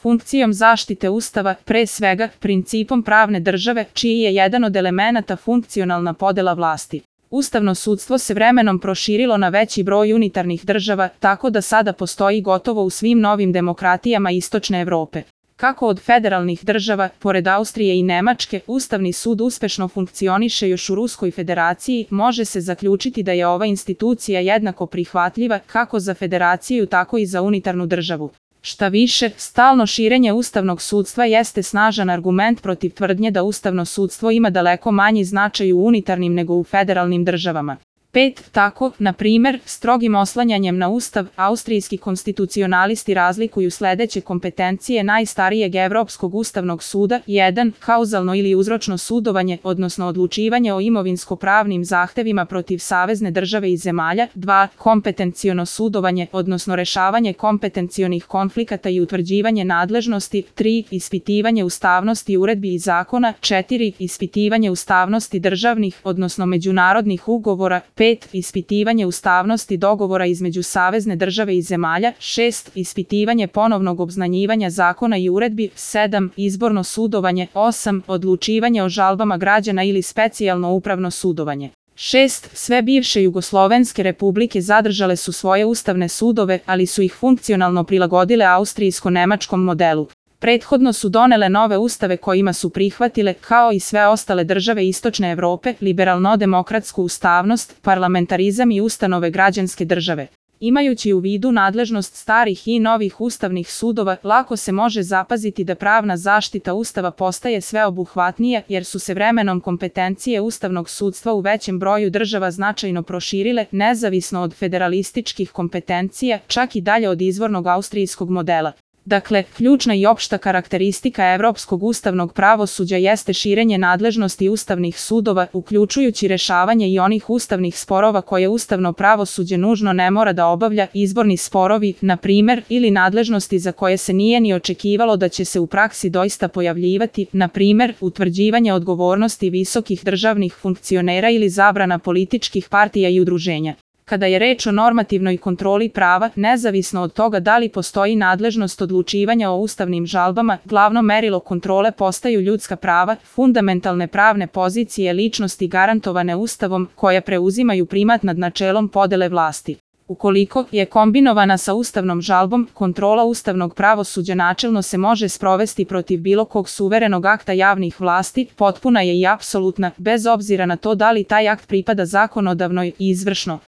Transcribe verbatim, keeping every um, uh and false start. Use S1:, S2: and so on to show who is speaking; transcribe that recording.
S1: funkcijom zaštite Ustava, pre svega, principom pravne države, čiji je jedan od elemenata funkcionalna podela vlasti. Ustavno sudstvo se vremenom proširilo na veći broj unitarnih država, tako da sada postoji gotovo u svim novim demokratijama Istočne Evrope. Kako od federalnih država, pored Austrije i Nemačke, Ustavni sud uspešno funkcioniše još u Ruskoj federaciji, može se zaključiti da je ova institucija jednako prihvatljiva kako za federaciju tako i za unitarnu državu. Šta više, stalno širenje ustavnog sudstva jeste snažan argument protiv tvrdnje da ustavno sudstvo ima daleko manji značaj u unitarnim nego u federalnim državama. Pet. Tako, na primer, strogim oslanjanjem na Ustav, austrijski konstitucionalisti razlikuju sledeće kompetencije najstarijeg Evropskog ustavnog suda. jedan. Kauzalno ili uzročno sudovanje, odnosno odlučivanje o imovinsko-pravnim zahtevima protiv savezne države i zemalja. dva. Kompetenciono sudovanje, odnosno rešavanje kompetencionih konflikata i utvrđivanje nadležnosti. tri. Ispitivanje ustavnosti uredbi i zakona. četiri. Ispitivanje ustavnosti državnih, odnosno međunarodnih ugovora. pet. Ispitivanje ustavnosti dogovora između savezne države i zemalja. šest. Ispitivanje ponovnog obznanjivanja zakona i uredbi. sedam. Izborno sudovanje. osam. Odlučivanje o žalbama građana ili specijalno upravno sudovanje. šest. Sve bivše jugoslovenske republike zadržale su svoje ustavne sudove, ali su ih funkcionalno prilagodile austrijsko-nemačkom modelu. Prethodno su donele nove ustave kojima su prihvatile, kao i sve ostale države Istočne Evrope, liberalno-demokratsku ustavnost, parlamentarizam i ustanove građanske države. Imajući u vidu nadležnost starih i novih ustavnih sudova, lako se može zapaziti da pravna zaštita Ustava postaje sveobuhvatnija, jer su se vremenom kompetencije ustavnog sudstva u većem broju država značajno proširile, nezavisno od federalističkih kompetencija, čak i dalje od izvornog austrijskog modela. Dakle, ključna i opšta karakteristika evropskog ustavnog pravosuđa jeste širenje nadležnosti ustavnih sudova, uključujući rešavanje i onih ustavnih sporova koje ustavno pravosuđe nužno ne mora da obavlja, izborni sporovi, na primer, ili nadležnosti za koje se nije ni očekivalo da će se u praksi doista pojavljivati, na primer, utvrđivanje odgovornosti visokih državnih funkcionera ili zabrana političkih partija i udruženja. Kada je reč o normativnoj kontroli prava, nezavisno od toga da li postoji nadležnost odlučivanja o ustavnim žalbama, glavno merilo kontrole postaju ljudska prava, fundamentalne pravne pozicije ličnosti garantovane Ustavom, koje preuzimaju primat nad načelom podele vlasti. Ukoliko je kombinovana sa ustavnom žalbom, kontrola ustavnog pravosuđa načelno se može sprovesti protiv bilo kog suverenog akta javnih vlasti, potpuna je i apsolutna, bez obzira na to da li taj akt pripada zakonodavnoj i izvršno